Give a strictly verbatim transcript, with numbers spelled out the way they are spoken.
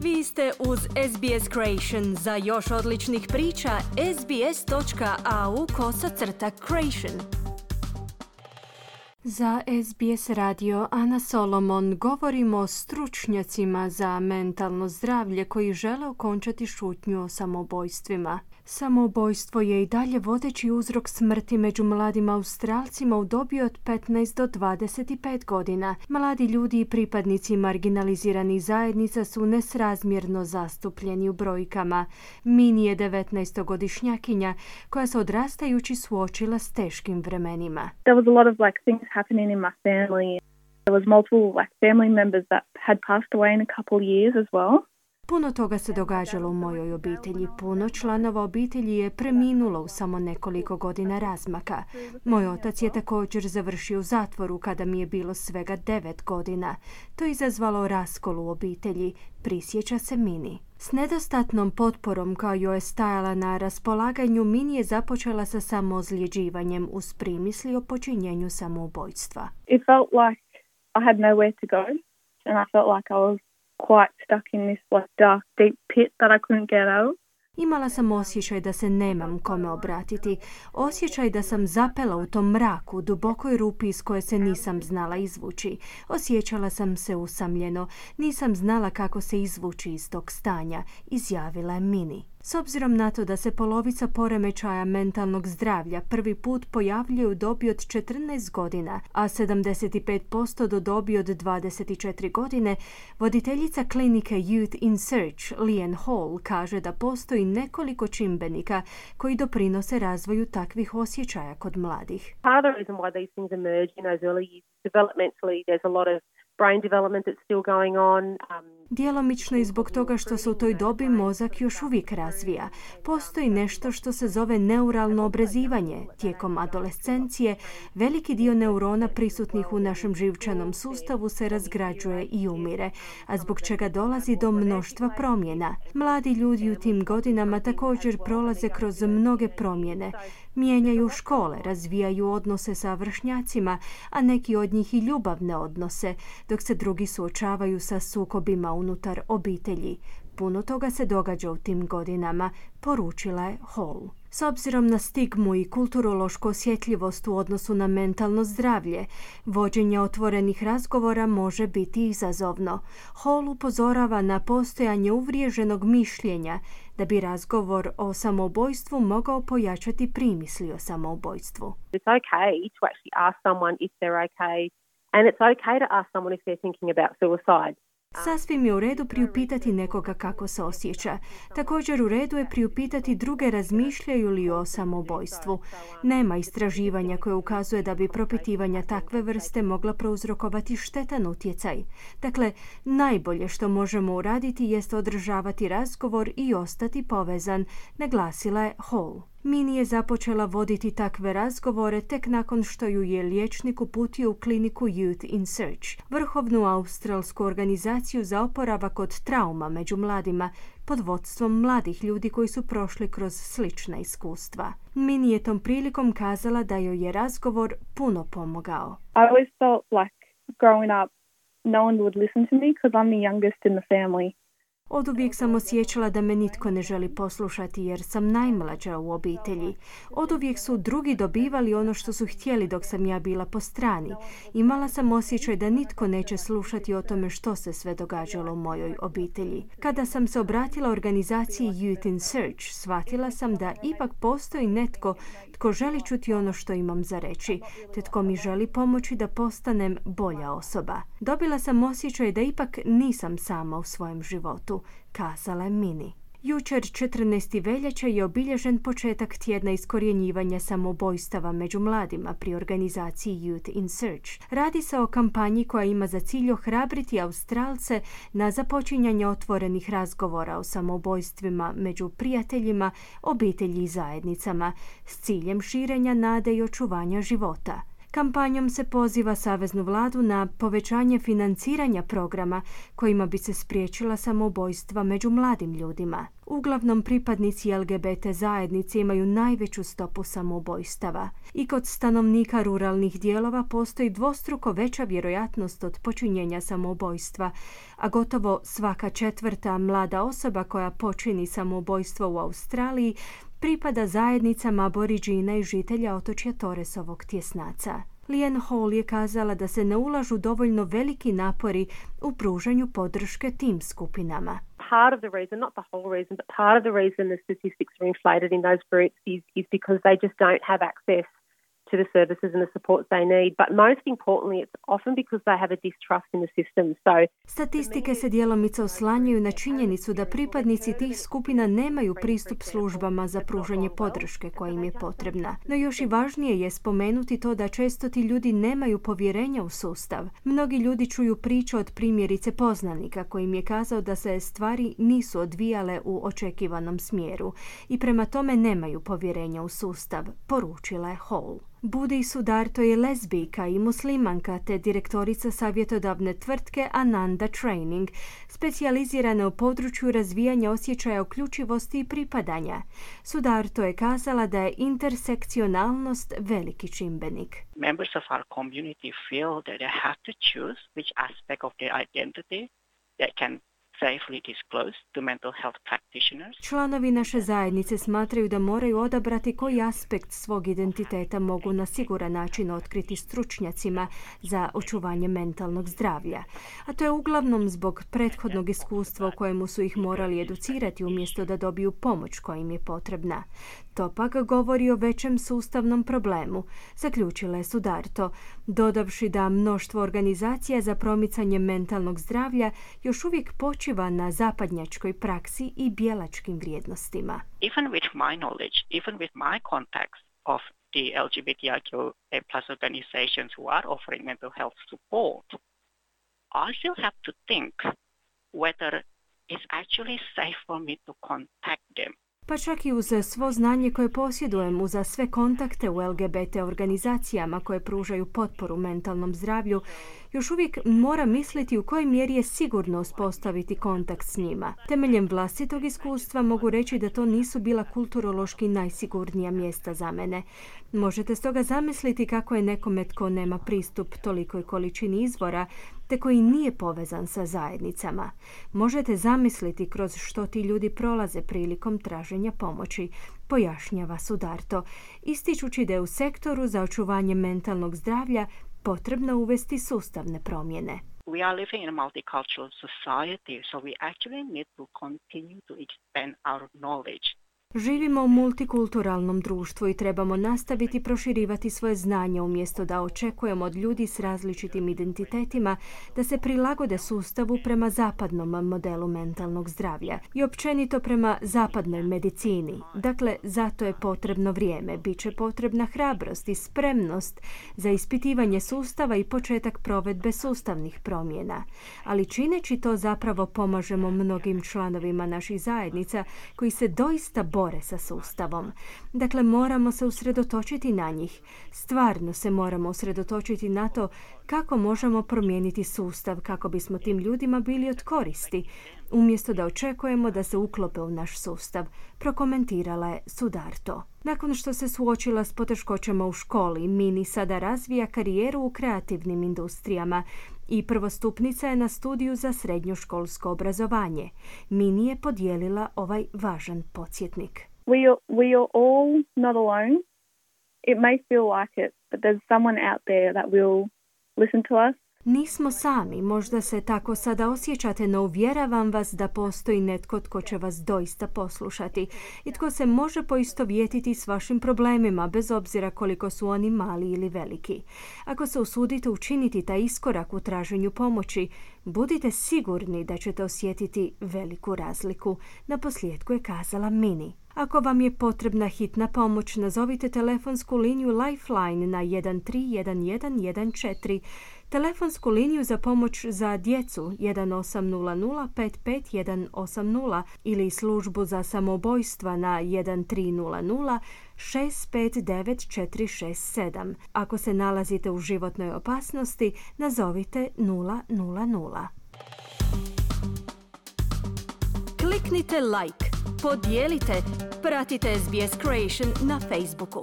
Vi ste uz S B S Creation. Za još odličnih priča, sbs.au kosacrta Creation. Za S B S radio Ana Solomon govorimo o stručnjacima za mentalno zdravlje koji žele okončati šutnju o samoubojstvima. Samoubojstvo je i dalje vodeći uzrok smrti među mladim Australcima u dobi od petnaest do dvadeset pet godina. Mladi ljudi i pripadnici marginaliziranih zajednica su nesrazmjerno zastupljeni u brojkama. Mini je devetnaestogodišnjakinja koja se odrastajući suočila s teškim vremenima. There was a lot of like things happening in my family. There was multiple like family members that had passed away in a couple of years as well. Puno toga se događalo u mojoj obitelji. Puno članova obitelji je preminulo u samo nekoliko godina razmaka. Moj otac je također završio u zatvoru kada mi je bilo svega devet godina. To je izazvalo raskol u obitelji, prisjeća se Mini. S nedostatnom potporom koja joj je stajala na raspolaganju, Mini je započela sa samoozljeđivanjem uz primisli o počinjenju samoubojstva. It felt like I had nowhere to go and I felt like I was quite stuck in this like dark, deep pit that I couldn't get out. Imala sam osjećaj da se nemam kome obratiti, osjećaj da sam zapela u tom mraku, dubokoj rupi iz koje se nisam znala izvući. Osjećala sam se usamljeno, nisam znala kako se izvući iz tog stanja, izjavila je Mini. S obzirom na to da se polovica poremećaja mentalnog zdravlja prvi put pojavljuje u dobi od četrnaest godina, a sedamdeset pet posto do dobi od dvadeset četiri godine, voditeljica klinike Youth in Search, Leanne Hall, kaže da postoji nekoliko čimbenika koji doprinose razvoju takvih osjećaja kod mladih. Part of the reason why these things emerge in those early years, developmentally, there's a lot of brain development that's still going on. Um, Djelomično i zbog toga što se u toj dobi mozak još uvijek razvija. Postoji nešto što se zove neuralno obrazivanje. Tijekom adolescencije veliki dio neurona prisutnih u našem živčanom sustavu se razgrađuje i umire, a zbog čega dolazi do mnoštva promjena. Mladi ljudi u tim godinama također prolaze kroz mnoge promjene. Mijenjaju škole, razvijaju odnose sa vršnjacima, a neki od njih i ljubavne odnose, dok se drugi suočavaju sa sukobima unutar obitelji. Puno toga se događa u tim godinama, poručila je Hall. S obzirom na stigmu i kulturološku osjetljivost u odnosu na mentalno zdravlje, vođenje otvorenih razgovora može biti izazovno. Hall upozorava na postojanje uvriježenog mišljenja da bi razgovor o samoubojstvu mogao pojačati primisli o samoubojstvu. It's okay to actually ask someone if they're okay, and it's okay to ask someone if they're thinking about suicide. Sasvim je u redu priupitati nekoga kako se osjeća. Također u redu je priupitati druge razmišljaju li o samoubojstvu. Nema istraživanja koje ukazuje da bi propitivanja takve vrste mogla prouzrokovati štetan utjecaj. Dakle, najbolje što možemo uraditi jest održavati razgovor i ostati povezan, naglasila je Hall. Mini je započela voditi takve razgovore tek nakon što ju je liječnik uputio u kliniku Youth in Search, vrhovnu australsku organizaciju za oporavak od trauma među mladima, pod vodstvom mladih ljudi koji su prošli kroz slična iskustva. Mini je tom prilikom kazala da joj je razgovor puno pomogao. I always felt like growing up no one would listen to me because I'm the youngest in the family. Oduvijek sam osjećala da me nitko ne želi poslušati jer sam najmlađa u obitelji. Oduvijek su drugi dobivali ono što su htjeli dok sam ja bila po strani. Imala sam osjećaj da nitko neće slušati o tome što se sve događalo u mojoj obitelji. Kada sam se obratila organizaciji Youth in Search, shvatila sam da ipak postoji netko tko želi čuti ono što imam za reći, te tko mi želi pomoći da postanem bolja osoba. Dobila sam osjećaj da ipak nisam sama u svojem životu, kazala je Mini. Jučer četrnaestog veljače je obilježen početak tjedna iskorjenjivanja samoubojstava među mladima pri organizaciji Youth in Search. Radi se o kampanji koja ima za cilj ohrabriti Australce na započinjanje otvorenih razgovora o samoubojstvima među prijateljima, obitelji i zajednicama s ciljem širenja nade i očuvanja života. Kampanjom se poziva saveznu vladu na povećanje financiranja programa kojima bi se spriječila samoubojstva među mladim ljudima. Uglavnom pripadnici L G B T zajednice imaju najveću stopu samoubojstava. I kod stanovnika ruralnih dijelova postoji dvostruko veća vjerojatnost od počinjenja samoubojstva, a gotovo svaka četvrta mlada osoba koja počini samoubojstvo u Australiji pripada zajednicama aboriđina i žitelja otočja Torresovog tjesnaca. Liane Hall je kazala da se ne ulažu dovoljno veliki napori u pružanju podrške tim skupinama. Part of the reason, not the whole reason, but part of the reason the statistics are inflated in those groups is, is because they just don't have access to the services and the supports they need. But most importantly, it's often because they have a distrust in the system. So, statistike se djelomice oslanjaju na činjenicu da pripadnici tih skupina nemaju pristup službama za pružanje podrške koja im je potrebna. No još i važnije je spomenuti to da često ti ljudi nemaju povjerenja u sustav. Mnogi ljudi čuju priče od primjerice poznanika koji im je kazao da se stvari nisu odvijale u očekivanom smjeru i prema tome nemaju povjerenja u sustav, poručila je Hall. Budi Sudarto je lezbijka i muslimanka te direktorica savjetodavne tvrtke Ananda Training, specijalizirana u području razvijanja osjećaja uključivosti i pripadanja. Sudarto je kazala da je intersekcionalnost veliki čimbenik. Members of our community feel that they have to choose which aspect of their identity they can safely disclose to mental health practitioners. Članovi naše zajednice smatraju da moraju odabrati koji aspekt svog identiteta mogu na siguran način otkriti stručnjacima za očuvanje mentalnog zdravlja. A to je uglavnom zbog prethodnog iskustva u kojemu su ih morali educirati umjesto da dobiju pomoć koja im je potrebna. To pak govori o većem sustavnom problemu, zaključila je Sudarto, dodavši da mnoštvo organizacija za promicanje mentalnog zdravlja još uvijek počiva na zapadnjačkoj praksi i bijelačkim vrijednostima. Even with my knowledge, even with my contacts of the L G B T I Q A plus organizations who are offering mental health support, I still have to think whether it's actually safe for me to contact them. Pa čak i uz svo znanje koje posjedujem, uz sve kontakte u L G B T organizacijama koje pružaju potporu mentalnom zdravlju, još uvijek moram misliti u kojoj mjeri je sigurno uspostaviti kontakt s njima. Temeljem vlastitog iskustva mogu reći da to nisu bila kulturološki najsigurnija mjesta za mene. Možete stoga zamisliti kako je nekome tko nema pristup tolikoj količini izvora, te koji nije povezan sa zajednicama. Možete zamisliti kroz što ti ljudi prolaze prilikom traženja pomoći, pojašnjava Sudarto, ističući da je u sektoru za očuvanje mentalnog zdravlja potrebno uvesti sustavne promjene. We are living in a multicultural society, so we actually need to continue to expand our knowledge. Živimo u multikulturalnom društvu i trebamo nastaviti proširivati svoje znanje umjesto da očekujemo od ljudi s različitim identitetima da se prilagode sustavu prema zapadnom modelu mentalnog zdravlja i općenito prema zapadnoj medicini. Dakle, zato je potrebno vrijeme, bit će potrebna hrabrost i spremnost za ispitivanje sustava i početak provedbe sustavnih promjena. Ali čineći to zapravo pomažemo mnogim članovima naših zajednica koji se doista bore sa sustavom. Dakle, moramo se usredotočiti na njih. Stvarno se moramo usredotočiti na to kako možemo promijeniti sustav kako bismo tim ljudima bili od koristi, umjesto da očekujemo da se uklope u naš sustav, prokomentirala je Sudarto. Nakon što se suočila s poteškoćama u školi, Mini sada razvija karijeru u kreativnim industrijama i prvostupnica je na studiju za srednjoškolsko obrazovanje. Mini je podijelila ovaj važan podsjetnik. We are, we are all not alone. It may feel like it, but there's someone out there that will listen to us. Nismo sami, možda se tako sada osjećate, no uvjeravam vas da postoji netko tko će vas doista poslušati i tko se može poistovjetiti s vašim problemima, bez obzira koliko su oni mali ili veliki. Ako se usudite učiniti taj iskorak u traženju pomoći, budite sigurni da ćete osjetiti veliku razliku, naposljetku je kazala Mini. Ako vam je potrebna hitna pomoć, nazovite telefonsku liniju Lifeline na jedan tri jedan jedan jedan četiri. Telefonsku liniju za pomoć za djecu jedan osam nula nula pet pet jedan osam nula ili službu za samoubojstva na jedan tri nula nula šest pet devet četiri šest sedam. Ako se nalazite u životnoj opasnosti, nazovite nula nula nula. Kliknite like, podijelite, pratite S B S Creation na Facebooku.